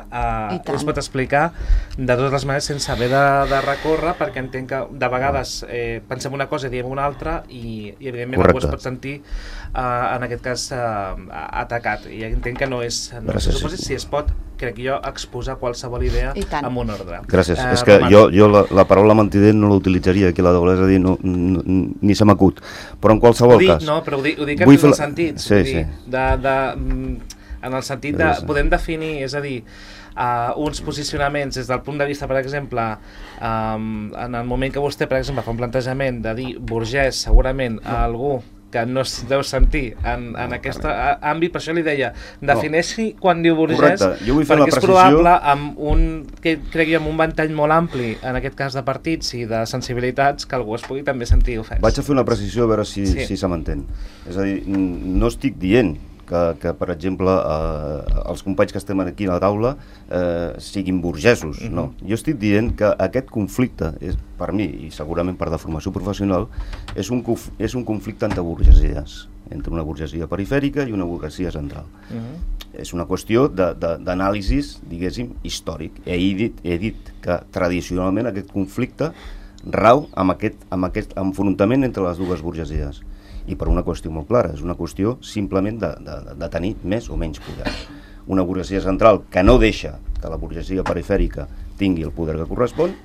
es pot explicar de totes les maneres sense haver de, de recórrer, perquè entenc que de vegades eh, pensem una cosa i diem una altra i, i evidentment algú es pot sentir eh, en aquest cas eh, atacat, i entenc que no és no se suposi, si es pot, crec jo, exposar qualsevol idea amb un ordre.
Gràcies, eh, és que Roman. jo, jo la, la paraula mentider no l'utilitzaria aquí a la doble, és a dir, no, no, ni se m'acut, però en qualsevol
ho dic,
cas
no, però ho dic, ho dic en el sentit
sí, sí.
de, de, en el sentit de, podem definir, és a dir, Uh, uns posicionaments des del punt de vista, per exemple, um, en el moment que vostè, per exemple, fa un plantejament de dir burgès, segurament a algú que no es deu sentir en, en aquest àmbit, per això li deia, defineixi no. quan diu burgès, perquè és probable amb un, que crec jo, amb un ventall molt ampli, en aquest cas de partits i de sensibilitats, que algú es pugui també sentir ofès.
Vaig a fer una precisió a veure si, sí. si se m'entén. És a dir, no estic dient Que, que, per exemple, eh, els companys que estem aquí a la taula eh, siguin burgesos, mm-hmm. no. Jo estic dient que aquest conflicte, és, per mi, i segurament per deformació professional, és un, és un conflicte entre burgesies, entre una burgesia perifèrica i una burgesia central. Mm-hmm. És una qüestió d'anàlisis, diguéssim, històric. He dit, he dit que tradicionalment aquest conflicte rau amb aquest, amb aquest enfrontament entre les dues burgesies. I per una qüestió molt clara, és una qüestió simplement de, de, de tenir més o menys poder. Una burgesia central que no deixa que la burgesia perifèrica tingui el poder que correspon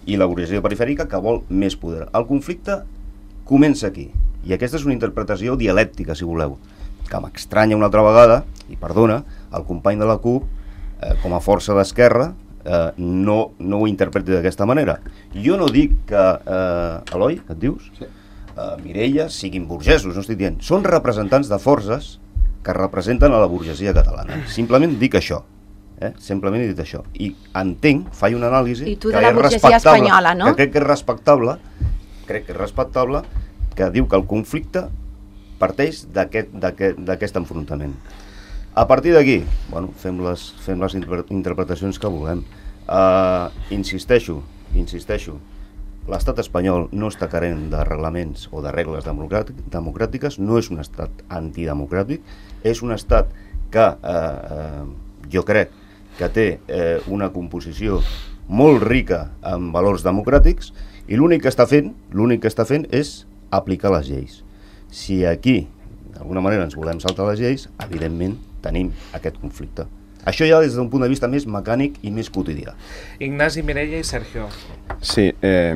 i la burgesia perifèrica que vol més poder. El conflicte comença aquí, i aquesta és una interpretació dialèctica, si voleu, que m'estranya una altra vegada, i perdona, el company de la CUP, eh, com a força d'esquerra, eh, no, no ho interpreti d'aquesta manera. Jo no dic que... Eh, Eloi, et dius? Sí. Uh, Mireia siguin burgesos, no estic dient, són representants de forces que representen a la burgesia catalana. Simplement dic això, eh? Simplement he dit això. I entenc, faig una anàlisi
I tu de la burgesia espanyola, no?
Que crec que és respectable, crec que és respectable, que diu que el conflicte parteix d'aquest enfrontament. A partir d'aquí, bueno, fem les, fem les interpretacions que volem. Uh, insisteixo, insisteixo, l'estat espanyol no està carent de reglaments o de regles democràtiques, no és un estat antidemocràtic, és un estat que eh, eh, jo crec que té eh, una composició molt rica en valors democràtics i l'únic que està fent, l'únic que està fent és aplicar les lleis. Si aquí, d'alguna manera, ens volem saltar les lleis, evidentment tenim aquest conflicte. Això ja des d'un punt de vista més mecànic i més quotidià.
Ignasi, Mireia i Sergio.
Sí, eh,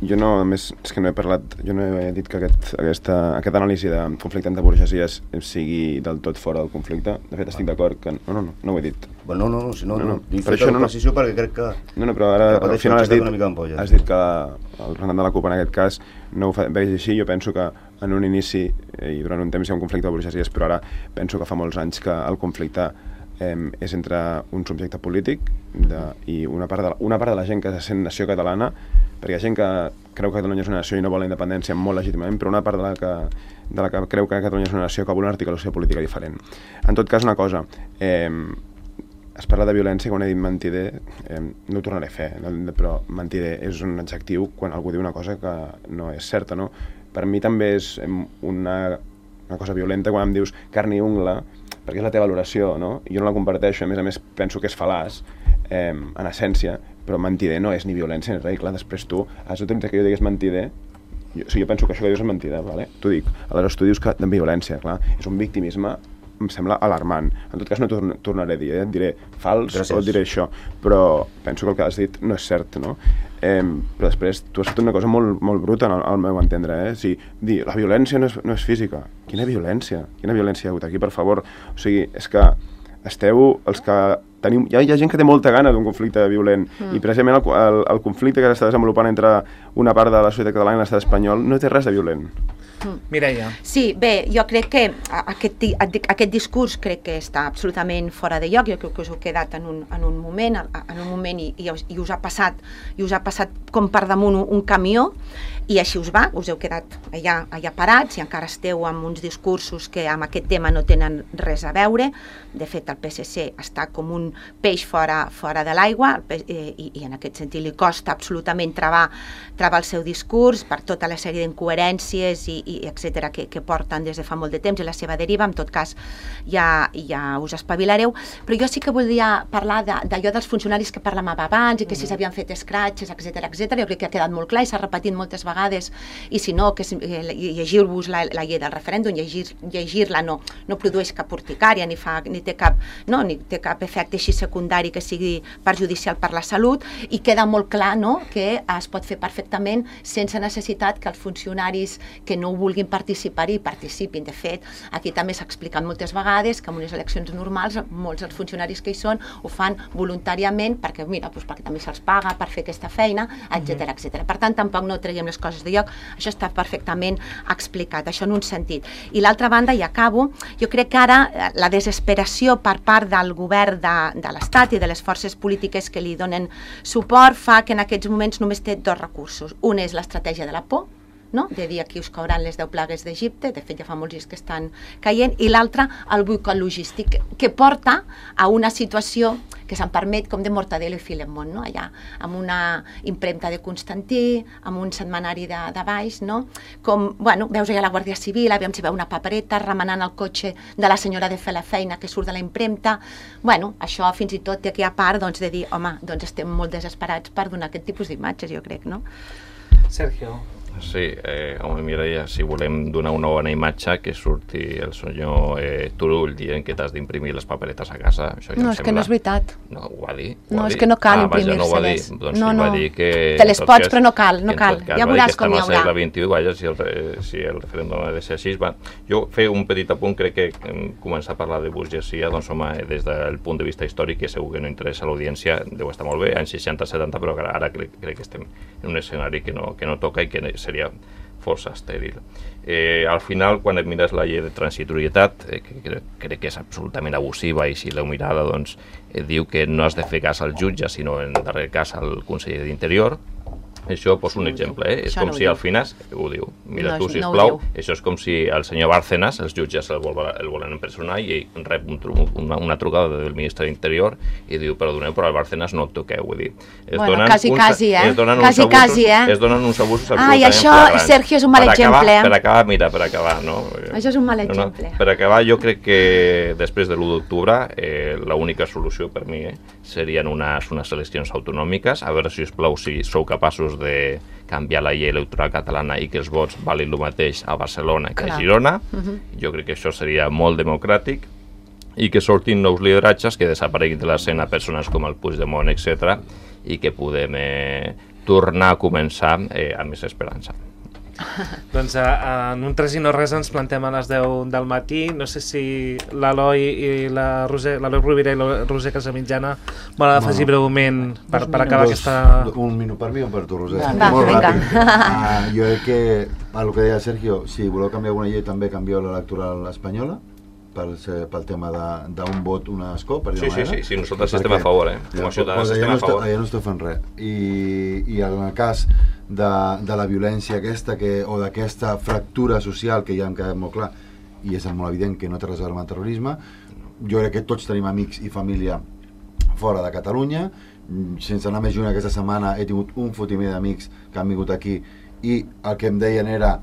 jo no, a més, és que no he parlat, jo no he dit que aquest, aquesta, aquest anàlisi de conflicte entre burgesies sigui del tot fora del conflicte. De fet, estic d'acord que... No, no, no, no ho he dit.
Bueno, no, no, si no, no, no. He fet la precisió perquè crec que...
No, no, però ara al final has dit, has dit que el representant de la CUP en aquest cas no ho veig així. Jo penso que en un inici i durant un temps hi ha un conflicte de burgesies, però ara penso que fa molts anys que el conflicte eh, és entre un subjecte polític de, i una part, de, una part de la gent que se sent nació catalana, perquè hi ha gent que creu que Catalunya és una nació i no vol la independència molt legítimament, però una part de la que, de la que creu que Catalunya és una nació que vol una articulació política diferent. En tot cas, una cosa, eh, es parla de violència, quan he dit mentider, eh, no ho tornaré a fer, no, però mentider és un adjectiu quan algú diu una cosa que no és certa, no? Per mi també és una, una cosa violenta quan em dius carn i ungla, perquè és la teva valoració, no? Jo no la comparteixo, a més a més penso que és fal·laç, eh, en essència, però mentider no és ni violència ni res, clar, després tu has d'utilitzar que jo digués mentider, jo, o sigui, jo penso que això que dius és mentida, vale? T'ho dic, aleshores tu dius que de violència, clar, és un victimisme em sembla alarmant. En tot cas no torn tornaré a dir, eh? Diré fals
Gràcies.
o diré això, però penso que el que has dit no és cert, no? Eh, però després tu has fet una cosa molt, molt bruta al, al meu entendre, eh? O sigui, dir, la violència no és, no és física. Quina violència? Quina violència hi ha hagut aquí, per favor? O sigui, és que esteu els que tenim... Hi ha, hi ha gent que té molta gana d'un conflicte violent mm. i precisament el, el, el conflicte que s'està desenvolupant entre una part de la societat catalana i l'estat espanyol no té res de violent.
Mm. Mireia.
Sí, bé, jo crec que aquest, aquest discurs crec que està absolutament fora de lloc. Jo crec que us heu quedat en un, en un moment, en un moment i, i, us, i us ha passat i us ha passat com per damunt un, un camió i així us va, us heu quedat allà, allà parats i encara esteu amb uns discursos que amb aquest tema no tenen res a veure. De fet, el P S C està com un peix fora, fora de l'aigua i, i en aquest sentit li costa absolutament travar, travar el seu discurs per tota la sèrie d'incoherències i, i etcètera que, que porten des de fa molt de temps i la seva deriva. En tot cas, ja, ja us espavilareu. Però jo sí que voldria parlar d'allò dels funcionaris que parlàvem abans i que si s'havien fet escratxes, etcètera, etcètera. Jo crec que ha quedat molt clar i s'ha repetit moltes vegades, i si no, que llegir-vos la, la llei del referèndum, llegir-la llegir no, no produeix cap urticària, ni, fa, ni, té cap, no, ni té cap efecte així secundari que sigui perjudicial per la salut, i queda molt clar, no, que es pot fer perfectament sense necessitat que els funcionaris que no vulguin participar-hi participin. De fet, aquí també s'ha explicat moltes vegades que en unes eleccions normals molts dels funcionaris que hi són ho fan voluntàriament perquè, mira, doncs perquè també se'ls paga per fer aquesta feina, etcètera, etcètera. Per tant, tampoc no traiem les coses de lloc, això està perfectament explicat, això en un sentit. I l'altra banda, i acabo, jo crec que ara la desesperació per part del govern de, de l'Estat i de les forces polítiques que li donen suport fa que en aquests moments només té dos recursos. Un és l'estratègia de la por, no? De dir aquí us cauran les deu plagues d'Egipte, de fet ja fa molts dies que estan caient, i l'altre el boicot logístic, que porta a una situació que se'n permet com de Mortadelo i Filemón, no? Allà, amb una impremta de Constantí, amb un setmanari de, de baix, no? Com, bueno, veus allà la Guàrdia Civil, aviam si veu una papereta remenant el cotxe de la senyora de fer la feina que surt de la impremta. Bueno, això fins i tot té aquí a part doncs, de dir, home, doncs estem molt desesperats per donar aquest tipus d'imatges, jo crec, no?
Sergio.
Sí, eh, home, Mireia, si volem donar una bona imatge, que surti el senyor eh, Turull dient que t'has d'imprimir les paperetes a casa, això ja
no,
em
és
sembla...
que no és veritat.
No, ho va dir. Ho
no,
va
és
dir.
que no cal
ah,
imprimir-se-les.
No doncs
no,
no.
no.
Va dir que...
Te les pots, cas, però no cal, no cal.
Cas,
ja veuràs com hi haurà.
Segle vint-i-u, vaja, si el, si el referèndum ha de ser així. Va. Jo fer un petit apunt, crec que començar a parlar de burgesia, doncs home, des del punt de vista històric, que segur que no interessa a l'audiència, deu estar molt bé, anys seixanta setanta, però ara, ara crec, crec que estem en un escenari que no, que no toca i que seria força estèril. Eh, al final, quan et mires la llei de transitorietat, eh, que crec, crec que és absolutament abusiva, i si l'heu mirada, doncs, eh, diu que no has de fer cas al jutge, sinó en darrer cas al conseller d'Interior. Això poso un exemple, eh? És com si al final, ho diu, mira tu, sisplau, això és com si el senyor Bárcenas, els jutges el volen empresonar i rep una trucada del ministre d'Interior i diu, perdoneu, però al Bárcenas no el toqueu, vull dir.
Bueno, quasi, quasi, eh?
Quasi, quasi, eh? Es donen uns abusos
absolutament flagrants. Ah, i això, Sergio, és un mal exemple.
Per acabar, mira, per acabar, no?
Això és un mal exemple.
Per acabar, jo crec que després de l'u d'octubre, l'única solució per mi serien unes eleccions autonòmiques, a veure, si us plau, si sou capaços de canviar la llei electoral catalana i que els vots valin el mateix a Barcelona que a Girona. Uh-huh. Jo crec que això seria molt democràtic i que sortin nous lideratges, que desapareguin de l'escena persones com el Puigdemont, etcètera, i que podem eh, tornar a començar eh, amb més esperança.
Doncs uh, en un tres i no res ens plantem a les deu del matí. No sé si l'Eloi i la Roser, l'Eloi Rovira i la Roser Casamitjana volen afegir no. breument per, per acabar dos, aquesta...
Un minut per mi o per tu, Roser?
Va,
molt
vinga.
ràpid. Uh, jo crec que, el que deia Sergio, si voleu canviar alguna llei, també canvieu l'electoral espanyola, pel, pel tema d'un vot, un escó, per dir-ho
sí, sí, sí, sí, nosaltres estem a favor, eh? Com a ciutadans estem
no
a favor.
Allà no estem fent res. I, i en el cas de, de la violència aquesta, que, o d'aquesta fractura social que ja hem quedat molt clar, i és molt evident que no té res a veure amb el terrorisme, jo crec que tots tenim amics i família fora de Catalunya. Sense anar més lluny, aquesta setmana he tingut un fotimer d'amics que han vingut aquí i el que em deien era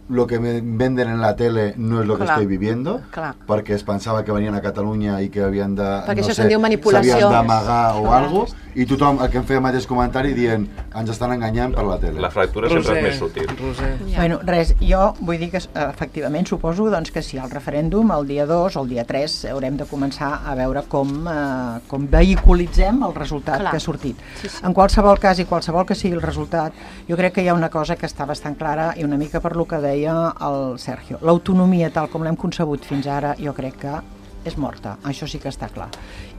lo que me venden en la tele no es lo que
Clar.
estoy viviendo,
Clar.
perquè es pensava que venien a Catalunya i que havien de,
Perquè
no
això
sé,
se'n diu manipulació.
s'havien d'amagar o
Clar.
alguna cosa, i tothom el que em feia el mateix comentari dient ens estan enganyant per la tele.
La fractura sempre és més sutil.
Roser.
Ja. Bueno, res, jo vull dir que efectivament suposo doncs, que si el referèndum el dia dos o el dia tres haurem de començar a veure com, eh, com vehiculitzem el resultat
Clar.
que ha sortit.
Sí, sí.
En qualsevol cas i qualsevol que sigui el resultat, jo crec que hi ha una cosa que està bastant clara i una mica per lo que deia el Sergio. L'autonomia tal com l'hem concebut fins ara jo crec que és morta, això sí que està clar.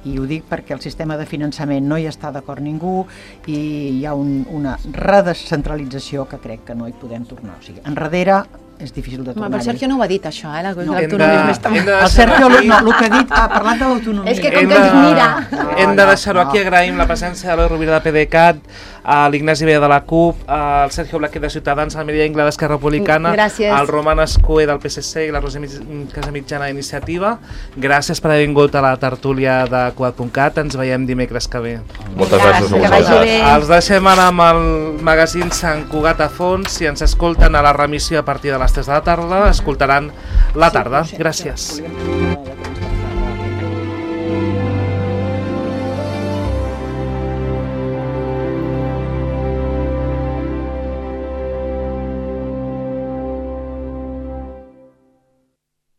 I ho dic perquè el sistema de finançament no hi està d'acord ningú i hi ha un, una redescentralització que crec que no hi podem tornar. O sigui, enrere és difícil de
Home,
tornar.
però el Sergio no ho ha dit, això, eh?
No.
L'autonomisme està...
Hem de
El Sergio, no, el que ha dit, ha parlat de l'autonomia.
És que com
Hem
que ens
de-
mira...
Hem de
No,
deixar-ho
no.
aquí. Agraïm la presència de l'Eloi Rovira de PDeCAT, a l'Ignasi Vella de la CUP, al Sergio Blaquet de Ciutadans, al Mireia Ingla d'Esquerra Republicana,
Gràcies.
al Roman Escuer del P S C i la Roser Mig- Casamitjana d'Iniciativa. Gràcies per haver vingut a la tertúlia de Cugat punt cat. Ens veiem dimecres que ve.
Moltes
Gràcies,
gràcies a
que vagi
vosaltres.
bé.
Els deixem ara amb el magazín Sant Cugat a fons. Si ens escolten a la remissió a partir de les tres de la tarda, escoltaran La Tarda. Gràcies.
Volíem-